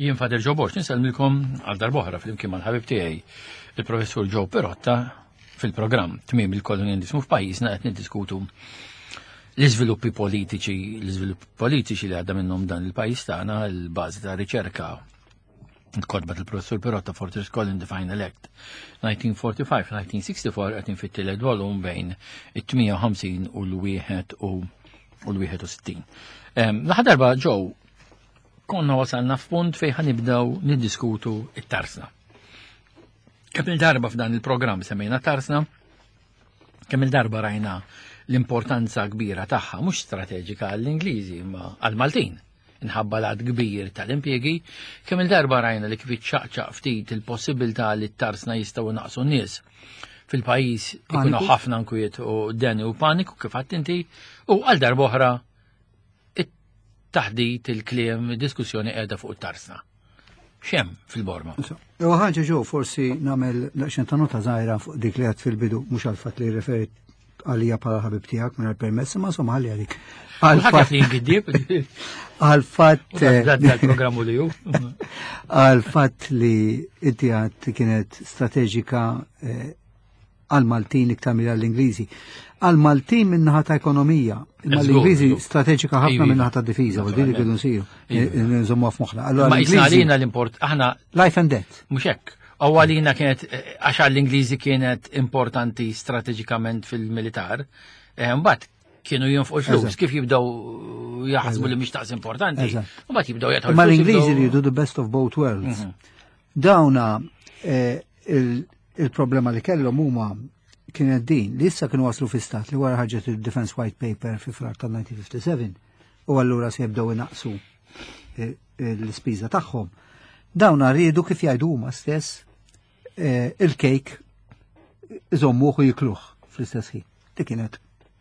Jien Fader Joe Borg nisellmilkom għal darb'oħra flimkien mal-ħabib tiegħi il-Professur Joe Perotta fil-programm Tmiem il-Kolonjalizmu f'pajjiżna qed niddiskutu l-iżviluppi politiċi, l-iżviluppi politiċi li għadda minnhom dan il-pajjiż tagħna, il-bażi ta' riċerka il-kodba tal-professur Perotta Fortress Colin the Final Act 1945-1964 qed fit-tielet volum bejn it-58 u l-1 u l-61. L-aħħar darba ġew konna wasalna f'punt fejn ħanibdew niddiskutu it-tarsna. Kemm il-darba f'dan il-programm semmejna tarsna, kemm il-darba rajna l-importanza kbira tagħha mhux strateġika għall-Ingliżi imma għall-Maltin inħabba l kbir tal-impjegi, kemm il-darba rajna li kif iċċaqċaq ftit il-possibilità li t-tarsna jistgħu naqsu n-nies fil-pajjiż ikunu ħafna nkwiet u deni u paniku kif għadt inti u għal darba oħra it-taħdit, il-kliem, diskussjoni qiegħda fuq it-tarsna. Xem fil-borma? U ħaġa ġo forsi nagħmel daqsxejn ta' nota żgħira fuq dik li għad fil-bidu mhux għal fatt li referit għalija bħala ħabib tiegħek minn permess ma insomma ħalli għalik. Għal-fatt li jingiddib. Għal-fatt. Dal-programmu li ju. Għal-fatt li inti għad kienet strateġika eh, għal-Maltin iktar mill għall-Ingliżi. Għal-Maltin minnaħa ta' ekonomija, imma l-Ingliżi strateġika ħafna minnaħa ta' difiża, u din li kienu nsiru, nżommu f'moħħna. Allora Ma jisna għalina l-import, aħna. Life and death. Mhux hekk. U għalina kienet, eh, għax għall-Ingliżi kienet importanti strateġikament fil-militar, eh, mbagħad kienu jinfqu l-flus, kif jibdew jaħsbu li mhix taqs importanti, mbagħad jibdew jagħtu. Ma l-Ingliżi jridu the best of both worlds. Mhm. Dawna eh, il-problema li kellhom huma kienet din li issa kienu waslu fi stat li wara ħarġet il-Defense White Paper fi frar tal-1957 u allura se jibdew inaqsu eh, l-ispiża tagħhom. Dawna riedu kif jgħidu huma stess eh, il-kejk iżommuh u jikluh fl-istess ħin. Dik kienet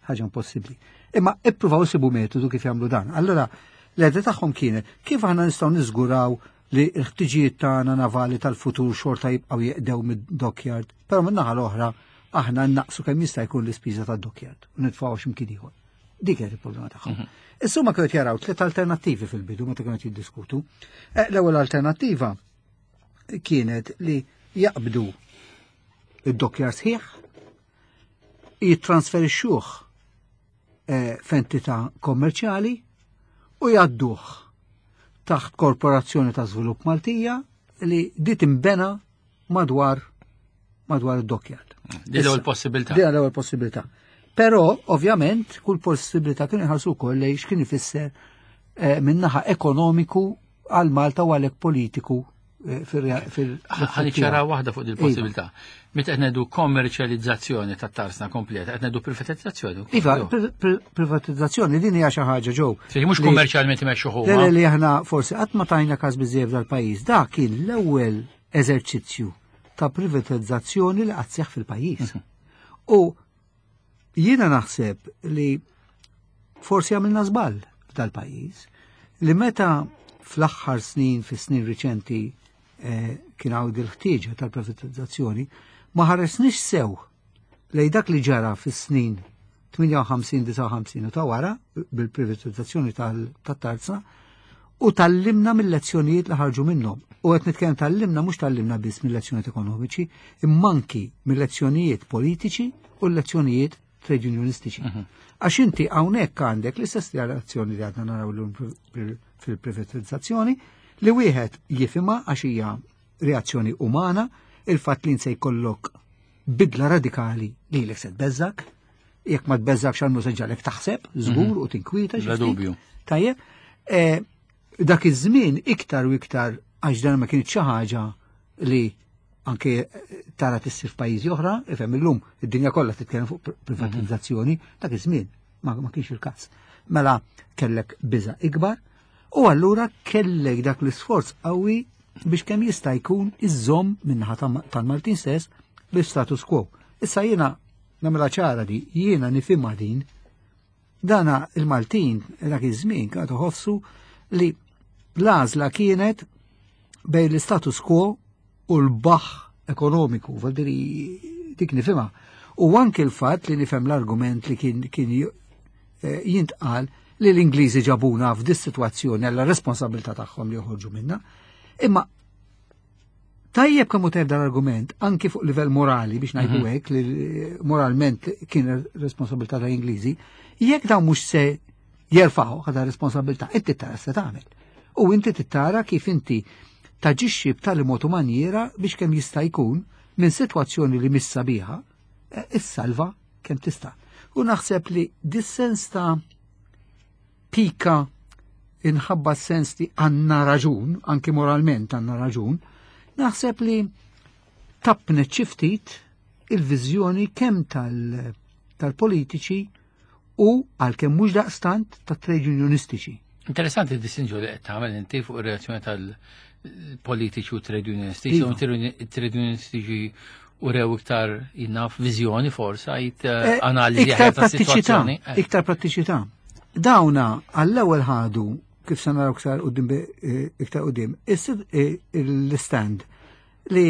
ħaġa impossibbli. Imma ippruvaw isibu metodu kif jagħmlu dan. Allura l-idea tagħhom kienet kif aħna nistgħu niżguraw li l-ħtiġijiet tagħna navali tal-futur xorta jibqgħu jeqdew mid-dockyard, però min-naħa l-oħra aħna naqsu kemm jista' jkun l-ispiża tad-dockyard u nitfgħu x'imkien ieħor. Dik kienet il-problema tagħhom. Mhm. Issa ma kienu jaraw tliet alternattivi fil-bidu meta kienu jiddiskutu. Eh, l-ewwel alternattiva kienet li jaqbdu id-dockyard sħiħ, jittransferixxuh eh, f'entità kommerċjali u jgħadduh taħt Korporazzjoni ta' Żvilupp Maltija li di timbena madwar madwar id-dockyard. Di l-ewwel possibilità. Di l-ewwel possibilità. Però, ovvjament, kull possibilità kien iħarsu wkoll lejn x'kien ifisser eh, minnaħa ekonomiku għal Malta u għalhekk politiku Eh, fil Ħaniċċara waħda fuq il-possibilità. Meta qed ngħidu kommerċjalizzazzjoni tat-tarsna kompleta, qed ngħidu privatizzazzjoni. Iva, privatizzazzjoni din hija xi ħaġa ġew. Mhux kummerċjalment imexxu huma. Le li aħna forsi qatt ma tajna każ biżejjed dal-pajjiż. Dak kien l-ewwel eżerċizzju ta' privatizzazzjoni li qatt seħħ fil-pajjiż. Mhm. U Jiena naħseb li forsi għamilna żball f'dal-pajjiż li meta fl-aħħar snin, fis-snin riċenti eh, kien hawn il-ħtieġa tal-privatizzazzjoni, ma ħaresniex sew lej dak li ġara fis-snin 58-59 u ta' wara bil-privatizzazzjoni tal-tarza u tallimna mill-lezzjonijiet li ħarġu minnhom. U qed nitkellem tallimna mhux tallimna biss mill-lezzjonijiet ekonomiċi, imma anki mill-lezzjonijiet politiċi u l-lezzjonijiet trade unionistiċi. Mhm. Għax inti hawnhekk għandek l-istess reazzjoni li għadna naraw llum fil-privatizzazzjoni li wieħed jifhimha għax hija reazzjoni umana, il-fatt li se jkollok bidla radikali li l se tbeżżak, jekk ma tbeżżakx għal se ġalek taħseb, żgur mhm. u tinkwita. Bla dubju. Tajjeb, e, dak iż-żmien iktar u iktar għax dan ma kienet xi ħaġa li anke tara tissir f'pajjiżi oħra, ifhem illum id-dinja kollha titkellem fuq privatizzazzjoni, mhm. dak iż-żmien ma, ma kienx il-każ. Mela kellek biża ikbar u allura kellek dak l-isforz qawwi biex kemm jista' jkun iżżomm minnaħa tal-Maltin stess l-status quo. Issa jiena nagħmilha ċara di, jiena nifhimha din dana il-Maltin dak iż-żmien kienu ħossu li l-għażla kienet bejn l-status quo u l-baħ ekonomiku, vuol dik nifhimha. U anke l-fatt li nifhem l-argument li kien kien eh, jintqal li l-Ingliżi ġabuna f'dis situazzjoni għalla responsabilità tagħhom li joħorġu minna. Imma tajjeb kemm hu tajjeb dal-argument anki fuq livell morali biex ngħidu hekk li moralment kien responsabilità tal-Ingliżi, jekk dawn mhux se jerfgħu ħada responsabilità, inti tara se tagħmel. U inti tara kif inti taġixxi b'tali mod u manjiera biex kemm jista' jkun minn sitwazzjoni li mhix sabiħa, issalva kemm tista'. U naħseb li dis-sens ta' pika inħabba sens li għandna raġun, anki moralment għandna raġun, naħseb li tappnet xi ftit il-viżjoni kemm tal-politiċi u għalkemm mhux daqstant ta' trade unionistiċi. Interessanti d-distinzjoni li qed tagħmel inti fuq ir-reazzjoni tal-politiċi u trade unionistiċi. Iva. Trade unionistiċi u rew iktar jinnaf viżjoni forsa, jit analiżi Iktar aħjar prattiċità, tas-sitwazzjoni. Iktar prattiċità. Dawna għall-ewwel ħadu kif se naraw iktar quddiem iktar quddiem, l-stand li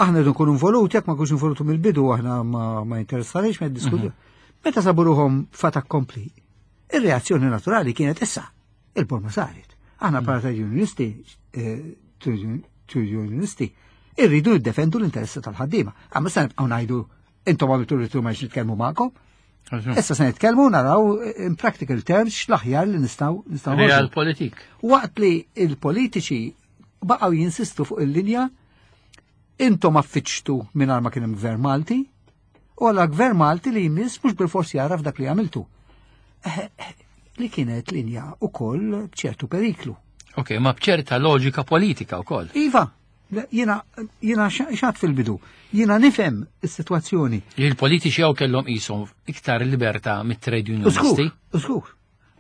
aħna rridu nkunu involuti, jekk ma nkunux involuti mill-bidu aħna ma jinteressarix, ma jiddiskutu. Meta sabu ruħhom fait accompli, ir-reazzjoni naturali kienet issa, il-borma saret. Aħna bħala trade unionisti, trade unionisti, irridu niddefendu l-interessi tal-ħaddiema. Għamma se nibqgħu ngħidu intom għamiltu rritu ma nitkellmu magħkom. Issa se nitkellmu naraw in practical terms x'l-aħjar li nistgħu Real noħorġu. politik. Waqt li il-politiċi baqgħu jinsistu fuq il-linja intom affiċtu mingħajr ma kien hemm gvern Malti, u għala gvern Malti li jmiss mhux bil-forsi jaraf dak li għamiltu. Li kienet linja ukoll b'ċertu periklu. Ok, ma b'ċerta loġika politika wkoll. Iva, le, jiena xat fil-bidu, jiena nifhem is-sitwazzjoni. Il-politiċi jew kellhom qishom iktar libertà mit-trade unionisti. Żgur, żgur.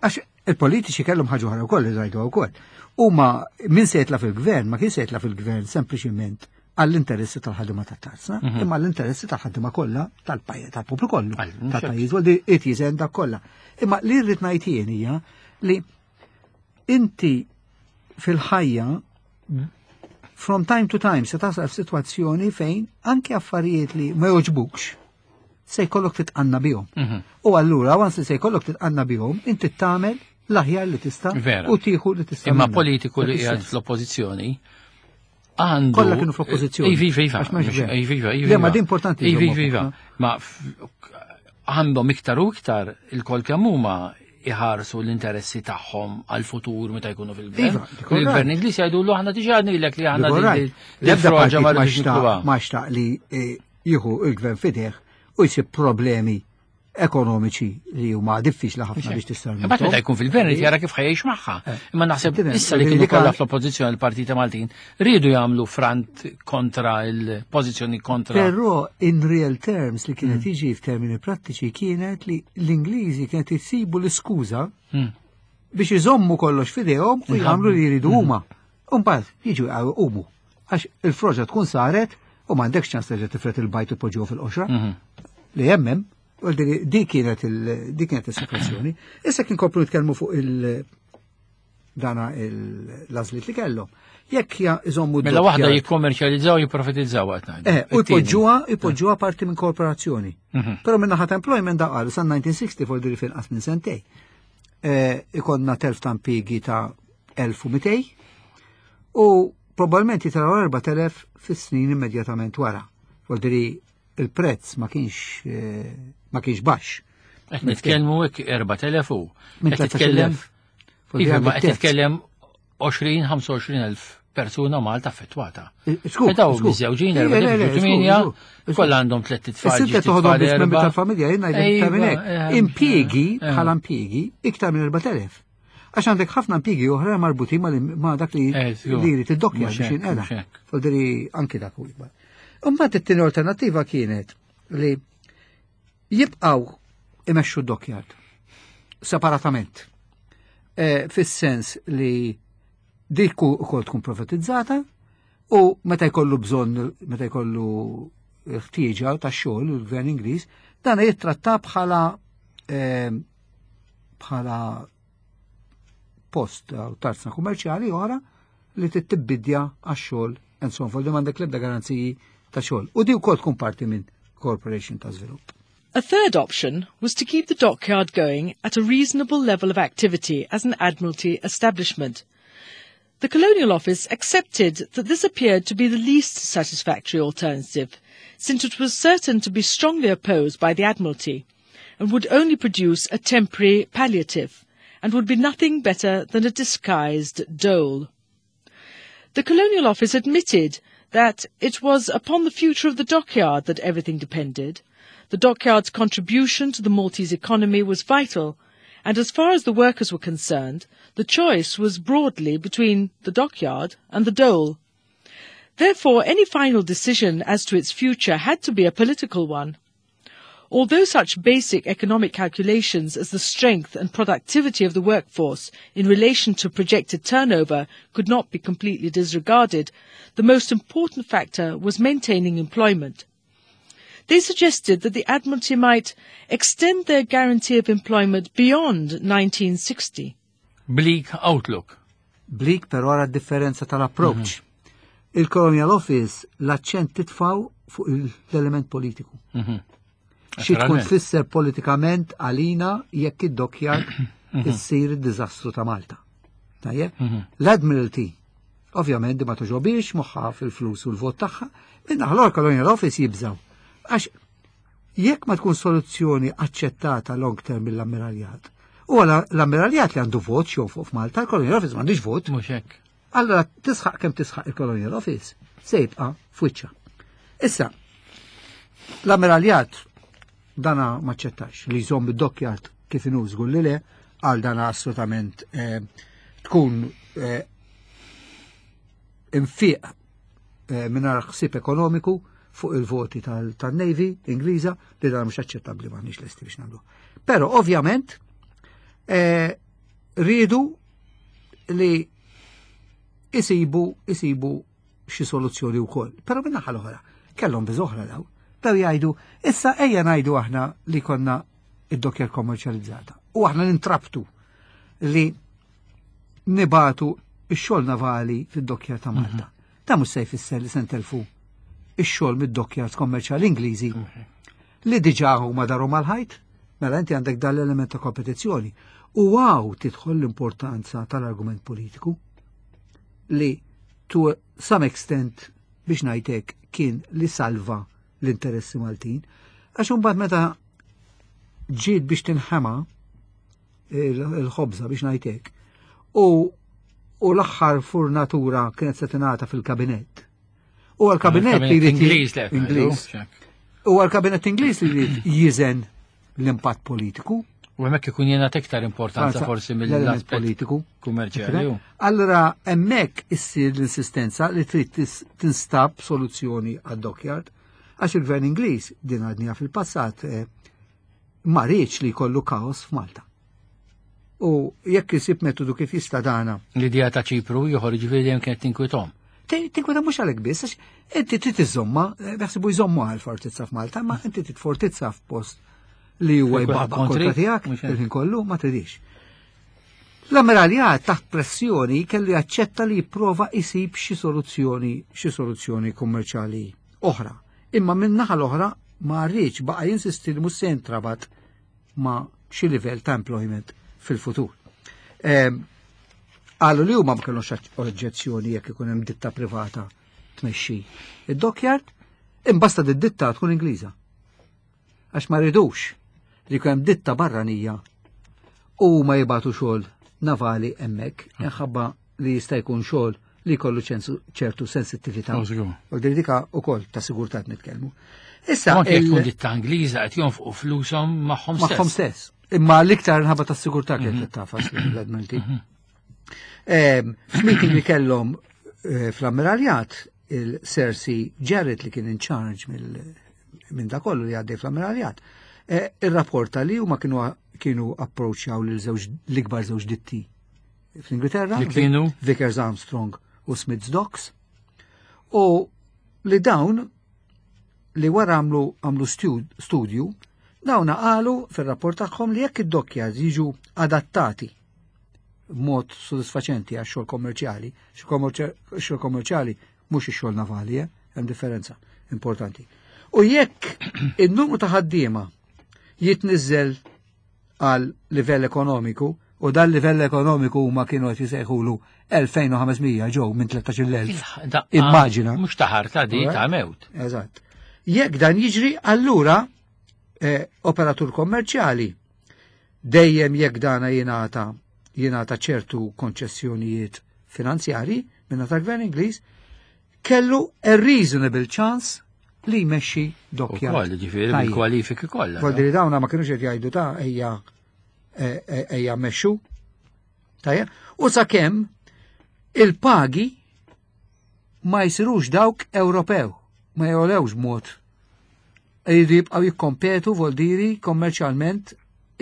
Għax il-politiċi kellhom ħaġa oħra wkoll li rajdu wkoll. Huma min se jitla' fil-gvern, ma kien se jitla' fil-gvern sempliċiment għall-interessi tal-ħaddiema tat-tarzna, imma għall-interessi tal-ħaddiema kollha tal-pajjiż, tal-poplu kollu, Għal, mhux hekk. tal-pajjiż, u li qed jiżen dak kollha. Imma li rrid ngħid jien hija li inti fil-ħajja from time to time se tasal f'sitwazzjoni fejn anke affarijiet li ma jogħġbukx se jkollok titqanna bihom. U allura once li se jkollok titqanna bihom, inti tagħmel l-aħjar li tista' u tieħu li tista' Imma minnha. politiku li Dak qiegħed is-sens. fl-oppożizzjoni għandu Kollha kienu fl-oppożizzjoni. Iva, iva, iva. Għax m'hemmx gvern. Iva, iva, iva, Le, ma iva. din importanti Iva, jżommu iva, iva. f'moħħna. Ma għandhom iktar u iktar il-kol kemm huma iħarsu l-interessi tagħhom għal-futur meta jkunu fil-gvern. Iva, dik all Il-gvern right. Ingliż jgħidu aħna diġà għadnilek li aħna Dik all right. din L-ebda froġa partit ma ma rridux nikluha. xtaq li jieħu il-gvern fideh u jsib problemi ekonomiċi li huma diffiċli ħafna biex tista' Imbagħad meta jkun fil-gvern irid jara kif ħajjix magħha. Imma naħseb Tifhem, issa li kienu dik kollha għal- fl-oppożizzjoni l-Partita Maltin riedu jagħmlu front kontra il-pożizzjoni kontra. Però in real terms li kienet jiġi f'termini prattiċi kienet li l-Ingliżi kienet jisibu l-iskuża biex iżommu kollox f'idejhom u jagħmlu li jridu huma. U mbagħad jiġu jqumu. Għax il-froġa tkun saret u m'għandekx ċans terġa' tifret il-bajd u tpoġġuha fil-qoxra. Li hemmem, u di kienet il-, di kienet is-sitwazzjoni. Issa kien kopru nitkellmu fuq il- dana l-għażliet li kellhom. Jekk iżommu Mela waħda d-doppja- jikkommerċjalizzaw jipprofitizzaw qed ngħidu. U It-tieni. jpoġġuha parti minn korporazzjoni. Però minn naħa ta' employment da qalu sa 1960 for diri finqas minn sentej. Ikonna telf ta' impjiegi ta' 1200 u probabbilment jitilgħu 4000 fis-snin immedjatament wara. Vuol dire il-prezz ma kienx baxx. Qed nitkellmu hekk 4000 u. Minn Qed titkellem 13,000. Vuol dire Iva, ma għandek qed terz. titkellem 20-25 elf persuna Malta affettwata. Skur, Daw skur. miżewġin, Ija, le, le, 4 8, skur, skur. kollha għandhom tliet itfal. Is-sitta ġiet toħodhom tfal biss membri erba'. tal-familja, jien ngħidlek iktar minn hekk. Ejwa, Impjiegi bħala impjiegi iktar minn 4000. Għax għandek ħafna impjiegi oħra marbutin ma' dak li jrid id-dokkja Mhux biex hekk, jinqeda. mhux hekk. Vuol dire anki dak u ikbar. Imbagħad it-tieni alternattiva kienet li jibqgħu imexxu d-dockyard separatament. Fis-sens li dik ukoll tkun privatizzata u meta jkollu bżonn, meta jkollu ħtieġa ta' xogħol il-gvern Ingliż, dan jittratta bħala post u tarzna kummerċjali oħra li tittibbidja għax-xogħol and so on. Vuol dire m'għandek l-ebda garanziji ta' xogħol. U di wkoll tkun parti minn corporation ta' żvilupp. A third option was to keep the dockyard going at a reasonable level of activity as an Admiralty establishment. The Colonial Office accepted that this appeared to be the least satisfactory alternative, since it was certain to be strongly opposed by the Admiralty, and would only produce a temporary palliative, and would be nothing better than a disguised dole. The Colonial Office admitted that it was upon the future of the dockyard that everything depended. The dockyard's contribution to the Maltese economy was vital, and as far as the workers were concerned, the choice was broadly between the dockyard and the dole. Therefore, any final decision as to its future had to be a political one. Although such basic economic calculations as the strength and productivity of the workforce in relation to projected turnover could not be completely disregarded, the most important factor was maintaining employment. They suggested that the Admiralty might extend their guarantee of employment beyond 1960. Bleak outlook. Bleak però ara differenza tal-approach. Il-Colonial Office l-aċċent titfaw fuq l-element politiku. Xi tkun tfisser politikament għalina jekk id-dockyard issir id-diżastru ta' Malta. Tajjeb? L-Admiralty, ovvjament di ma toġobix moħħa fil-flus u l-vot tagħha, minna ħlor Colonial Office jibżaw. Għax jekk ma tkun soluzzjoni aċċettata long term mill-ammiraljat, u l-ammiraljat li għandu vot xew fuq f'Malta, il-Colonial Office m'għandix vot. Mhux hekk. Allora tisħaq kemm tisħaq il-Colonial Office se jibqa' f'wiċċa. Issa, l-ammiraljat dana maċċettax li jżomm id-dockyard kif inhu żgur li le, għal dana assolutament tkun infiq mingħajr ħsieb ekonomiku fuq il-voti tal-Navy Ingliża li dan mhux aċċettabbli m'aħniex lesti biex nagħmlu. Però ovvjament rridu li isibu xi soluzzjoni wkoll. Però minn naħa l-oħra, kellhom biżoħra daw. Daw jgħidu, issa ejja ngħidu aħna li konna id-dockyard kommerċjalizzata. U aħna nintrabtu li nibatu ix-xogħol navali fid-dockyard ta' Malta. Ta' mhux se jfisser li se ntelfu ix-xogħol mid-dockyards kommerċjali Ingliżi li diġà huma daru mal-ħajt, mela inti għandek dan l-element ta' kompetizzjoni. U għaw tidħol l-importanza tal-argument politiku li to some extent biex ngħidlek kien li salva l-interessi Maltin. Għax imbagħad meta ġiet biex tinħema il-ħobża biex ngħidlek u l-aħħar furnatura kienet se tingħata fil-kabinett. U għal-kabinett li jrid Ingliż le, Ingliż. U għal-kabinett Ingliż li jrid jiżen l-impatt politiku. U hemmhekk ikun jena iktar importanza forsi l-element mill-aspett politiku. kummerċjali. Allora, hemmhekk issir l-insistenza li trid tinstab soluzzjoni għad-dockyard, għax il-gvern Ingliż din għadnija fil-passat ma riedx li jkollu kaos f'Malta. U jekk isib metodu kif jista' dana. L-idea ta' Ċipru joħorġ ġifieri dejjem kienet tinkwithom. Tinkwita mhux għalhekk biss, għax inti trid iżomma, jaħsibu jżommu għal fortizza f'Malta, ma inti trid fortizza f'post li huwa Fejn jbaqbaq kontri, kontra tiegħek mhux hekk. il-ħin kollu ma tridix. L-ammiraljat taħt pressjoni kellu jaċċetta li jipprova isib xi soluzzjoni, xi soluzzjoni kummerċjali oħra. Imma minn naħa l-oħra ma rridx baqa' jinsisti li mhux se jintrabat ma' xi livell ta' employment fil-futur. Qalu li huma ma kellhomx oġġezzjoni jekk ikun hemm ditta privata tmexxi id-dockyard, imbasta di ditta tkun Ingliża. Għax ma rridux li jkun hemm ditta barranija u ma jibatu xogħol navali hemmhekk, minħabba li jista' jkun xogħol li jkollu ċertu sensittività. Oh, żgur. U din dika wkoll ta' sigurtà nitkellmu. Issa Anke jekk il- tkun ditta Ingliża qed jonfqu flushom magħhom magħhom stess. stess. Imma l-iktar nħabba ta' sigurtà kienet tafas l-Admiralty. F'meeting li kellhom fl-ammiraljat il-Sir C. Jarrett li kien in charge minn da kollu li għaddej fl-ammiraljat, irrapporta li huma kienu approachjaw lil żewġ l-ikbar żewġ ditti fl-Ingilterra, Li kienu? Vickers Armstrong u Smiths Docks, u li dawn li wara għamlu studju, dawn qalu fir-rapport tagħhom li jekk id-dockyards jiġu adattati b'mod sodisfaċenti għax xogħol kommerċjali, xogħol kommerċjali mhux ix-xogħol navali, hemm differenza importanti. U jekk in-numru ta' ħaddiema jitniżel għal livell ekonomiku U dan livell ekonomiku huma kienu qed jisejħulu 2500 ġew minn 13,000. Immaġina. Mhux ta' ħarta di ta' mewt. Eżatt. Jekk dan jiġri, allura eh, operatur kommerċjali dejjem jekk dana jingħata jingħata ċertu konċessjonijiet finanzjari minna tal-Gvern Ingliż, kellu a reasonable chance li jmexxi dokkja. Ukoll, ġifieri bil-kwalifiki kollha. Vuol dawna ma kinux qed jgħidu ta' ejja e, e, ejja mmexxu. Tajja, u sakemm il-pagi ma jsirux dawk Ewropew, ma jolewx mod. Jridu jibqgħu jikkompetu voldiri kommerċjalment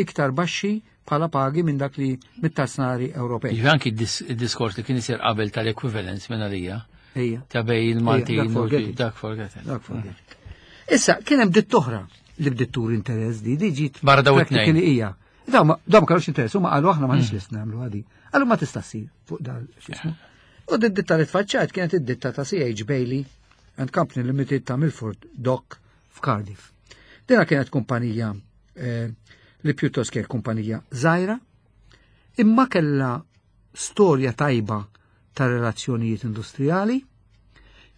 iktar baxxi bħala pagi minn dak li mit-tasnari Ewropej. Jiġifieri anki d-diskors li kien isir qabel tal-equivalence minn għalija. Ejja. Ta' bej il-Maltin u dak forget it. Dak forget it. Issa, kien hemm ditt oħra li bdiet tur interess di, di ġiet. Barra daw it-tnejn. Kien hija. Daw ma kellux interess, huma qalu aħna m'aħniex lest nagħmlu għadi. Qalu ma tista' ssir fuq dal x'ismu. U d-ditta li tfaċċat kienet id-ditta ta' CH Bailey and Company Limited ta' Milford Dock f'Cardiff. Dina kienet kumpanija eh, li pjuttost kienet kumpanija żgħira, imma kellha storja tajba ta' relazzjonijiet industrijali,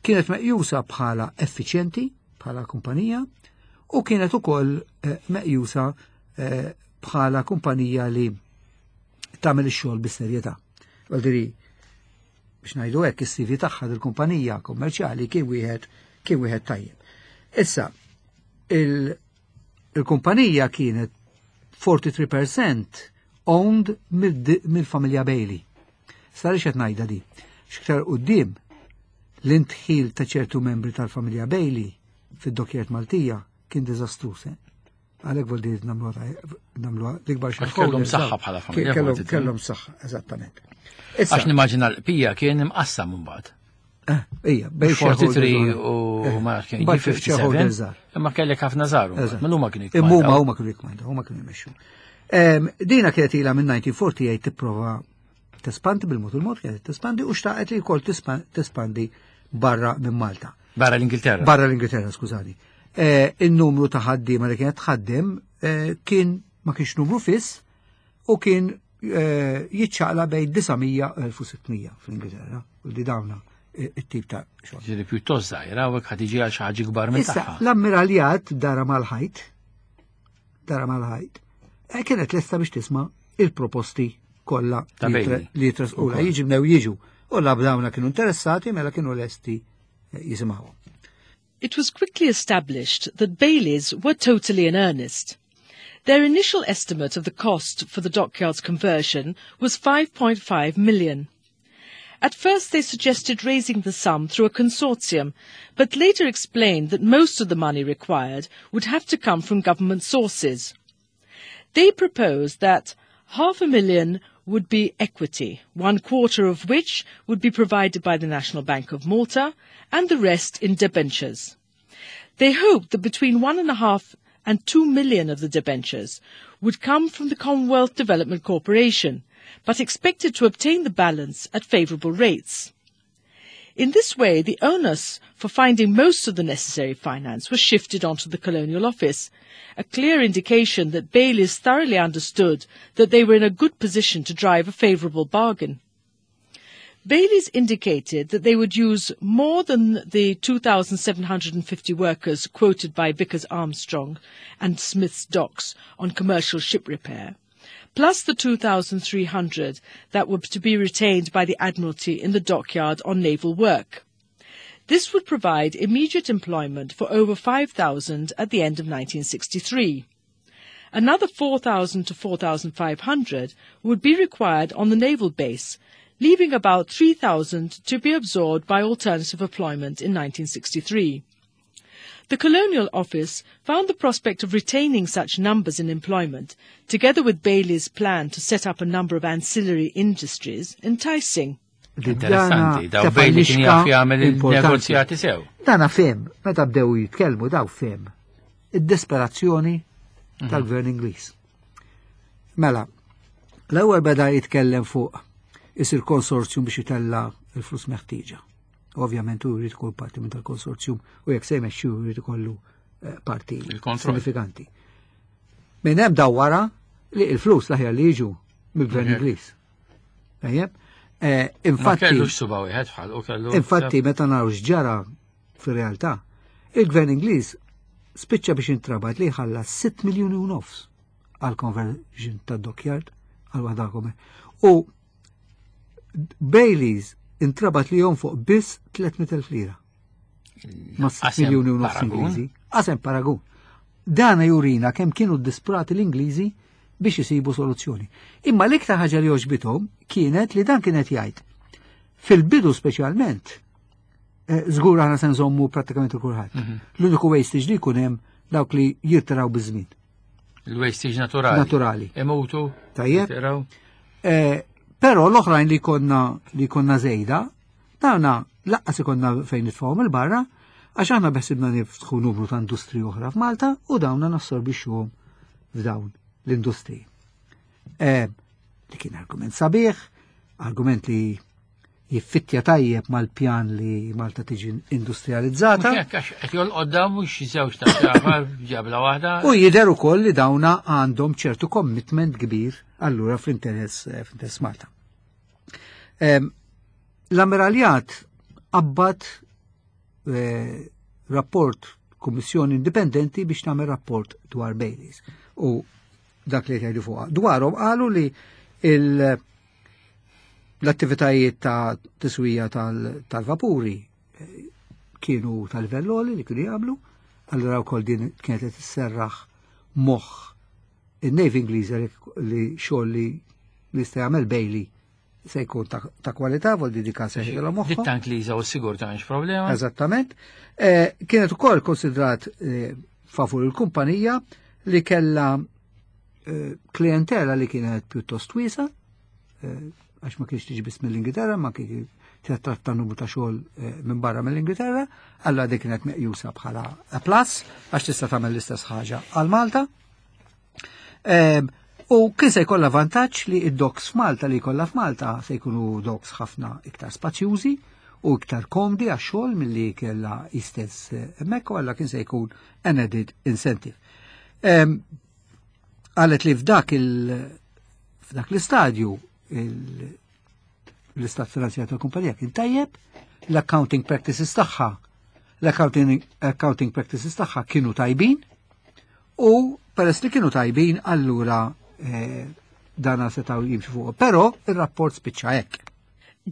kienet meqjusa bħala effiċjenti bħala kumpanija u kienet ukoll eh, meqjusa eh, bħala kumpanija li tagħmel ix-xogħol bis-serjetà. Għaldiri, biex ngħidu hekk is-CV tagħha dil-kumpanija kummerċjali kien wieħed kien wieħed tajjeb. Issa, il-kumpanija kienet 43% owned mill-familja Bailey. Sar qed ngħidha di. X'iktar quddiem l-intħil ta' ċertu membri tal-familja Bailey fid-dokjert Maltija kien diżastruż. Eh? Għalhekk vol dir nagħmluha l-ikbar xi Kellhom saħħa bħala familja. Kellhom saħħa, eżattament. Għax nimmaġina l-qpija kien imqassam mbagħad. Eh, ija, bej 43 u eh, ma kien 57. Imma kellek ħafna żaru. Ma huma kienu jikmandaw. Imma huma kienu jikmandaw, huma kienu jmexxu. Dina kienet ilha minn 1948 tipprova tespandi bil-mod il-mod kienet tespandi u xtaqet li wkoll tespandi barra minn Malta. Barra l-Ingilterra. Barra l-Ingilterra, skużani. Eh, il-numru ta' ħaddiema li kienet tħaddem eh, kien ma kienx numru fiss u kien eh, jiċċaqla bejn 900 u 1600 fl-Ingilterra u di dawna it-tip ta' xogħol. Ġifieri pjuttost żgħira u hekk ħad għal xi ħaġa kbar minn tagħha. L-ammiraljat dara mal-ħajt dara mal-ħajt, eh, kienet lesta biex tisma' il-proposti kollha li jitresqula. Jiġi bnew jiġu. U l-abdawna kienu interessati mela kienu lesti eh, jisimgħuhom. It was quickly established that Baileys were totally in earnest. Their initial estimate of the cost for the dockyard's conversion was 5.5 million. At first they suggested raising the sum through a consortium, but later explained that most of the money required would have to come from government sources. They proposed that half a million would be equity, one quarter of which would be provided by the National Bank of Malta and the rest in debentures. They hoped that between 1.5 and 2 million of the debentures would come from the Commonwealth Development Corporation, but expected to obtain the balance at favourable rates. In this way, the onus for finding most of the necessary finance was shifted onto the Colonial Office, a clear indication that Bayliss thoroughly understood that they were in a good position to drive a favourable bargain. Bayliss indicated that they would use more than the 2,750 workers quoted by Vickers Armstrong and Smith's Docks on commercial ship repair, plus the 2,300 that were to be retained by the Admiralty in the dockyard on naval work. This would provide immediate employment for over 5,000 at the end of 1963. Another 4,000 to 4,500 would be required on the naval base, leaving about 3,000 to be absorbed by alternative employment in 1963. The Colonial Office found the prospect of retaining such numbers in employment, together with Bailey's plan to set up a number of ancillary industries, enticing. Interessanti, daw Bailey kien jaf jagħmel il-negozjati sew. Dana fem, meta bdew jitkellmu daw fem id-desperazzjoni mhm. tal-gvern Ingliż. Mela, l-ewwel beda jitkellem fuq isir konsorzjum biex itella il-flus meħtieġa. Ovvjament hu jrid ikun parti minn tal-konsorzjum u jekk se jmexxi jrid ikollu eh, parti sinifikanti. Minn hemm daw wara li l-flus l-aħjar li jiġu. mill-Gvern Ingliż. Tajjeb? Infatti. Kellu suba wieħed bħal u kellu. Infatti meta naraw x'ġara fir-realtà, il-Gvern Ingliż spiċċa biex intrabat li jħallas 6 miljuni u nofs għal conversion ta' dockyard għal waħda. U Baileys intrabat li jonfoq biss 300.000 lira. Ma' 6 miljuni u nofs Ingliżi. Qasem paragun. Dana jurina kemm kienu disprati l-Ingliżi biex isibu soluzzjoni. Imma l-iktar ħaġa li għoġbithom kienet li dan kienet jgħid. Fil-bidu speċjalment, żgur aħna se nżommu prattikament kulħadd. L-uniku wastage li jkun hemm dawk li jirtiraw biż-żmien. Il-wastage naturali. Naturali. Imutu. Tajjeb. Però l-oħrajn li konna żejda, dawna laqqas ikonna fejn nitfgħuhom il-barra, għax aħna beħsibna niftħu numru ta' industriji oħra f'Malta u dawna nassorbixxuhom f'dawn l-industriji. Li kien argument sabiħ, argument li jiffittja tajjeb mal-pjan li Malta tiġi industrializzata. Qed jolqod dawn mhux żewġ ta' xafar ġabla waħda. U jidher ukoll li dawna għandhom ċertu commitment kbir allura fl-interess Malta. L-Ammiraljat qabbat rapport kummissjoni indipendenti biex tagħmel rapport dwar Baileys u dak li jgħidu fuqha. Dwarhom qalu li l-attivitajiet ta' tiswija tal-vapuri kienu tal-livell li kienu jagħmlu, allura wkoll din kienet qed isserraħ moħħ in-Navy Ingliża li xogħol li jista' jagħmel Bailey se jkun ta' kwalità, vol di dika se jgħidilhom moħħhom. Ditta Ingliża u s-sigurtà m'hemmx problema. Eżattament. Kienet ukoll konsidrat favur il-kumpanija li kellha klientela li kienet pjuttost wiesa, għax ma kienx tiġi biss mill-Ingilterra, ma kien tratta numru ta' xogħol minn barra mill-Ingilterra, allura dik kienet meqjusa bħala a plus għax tista' tagħmel l-istess ħaġa għal Malta. U kien se jkollha vantaġġ li id-docks f'Malta li jkollha f'Malta se jkunu docks ħafna iktar spazjużi u iktar komdi għax-xogħol milli kellha istess hemmhekk, u allura kien se jkun an added incentive. Qalet li f'dak l-istadju l-istat finanzjarju tal-kumpanija kien tajjeb, l-accounting practices tagħha, l-accounting practices tagħha kienu tajbin, u peress li kienu tajbin allura dana setgħu jimxu fuq. Però ir-rapport spiċċa hekk.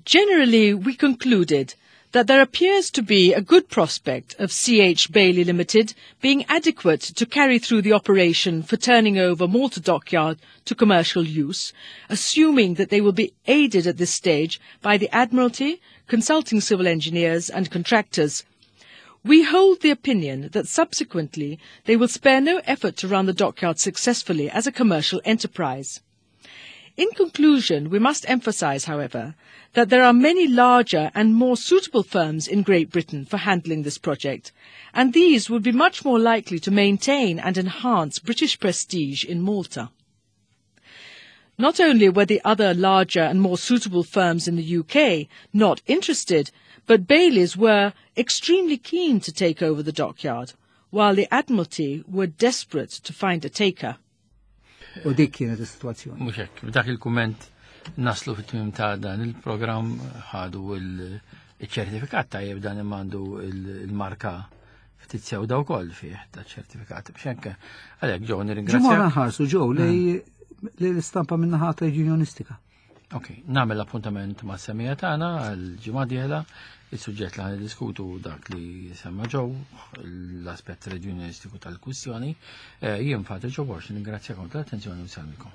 Generally, we concluded that there appears to be a good prospect of C.H. Bailey Limited being adequate to carry through the operation for turning over Malta Dockyard to commercial use, assuming that they will be aided at this stage by the Admiralty, consulting civil engineers and contractors. We hold the opinion that subsequently they will spare no effort to run the dockyard successfully as a commercial enterprise. In conclusion, we must emphasize, however, that there are many larger and more suitable firms in Great Britain for handling this project, and these would be much more likely to maintain and enhance British prestige in Malta. Not only were the other larger and more suitable firms in the UK not interested, but Baileys were extremely keen to take over the dockyard, while the Admiralty were desperate to find a taker. U dik kienet is-sitwazzjoni. Mhux hekk, b'dak il-kumment naslu fit-tmiem ta' dan il-programm. Ħadu il-ċertifikat tajjeb dan immandu il-marka ftit sewda wkoll fih ta' ċertifikat. Biex hekk għalhekk ġew nirringrazzjak. Ġimgħa nħarsu ġew lej l-istampa min-naħa unionistika. Ok, nagħmel appuntament ma' semija tagħna għal ġimgħa dieħla. Il-suġġett li ħan diskutu dak li semma ġew l-aspett reġjonistiku tal-kwistjoni. Jien Father Joe Borg, ningrazzjakom tal-attenzjoni u nsalmikom.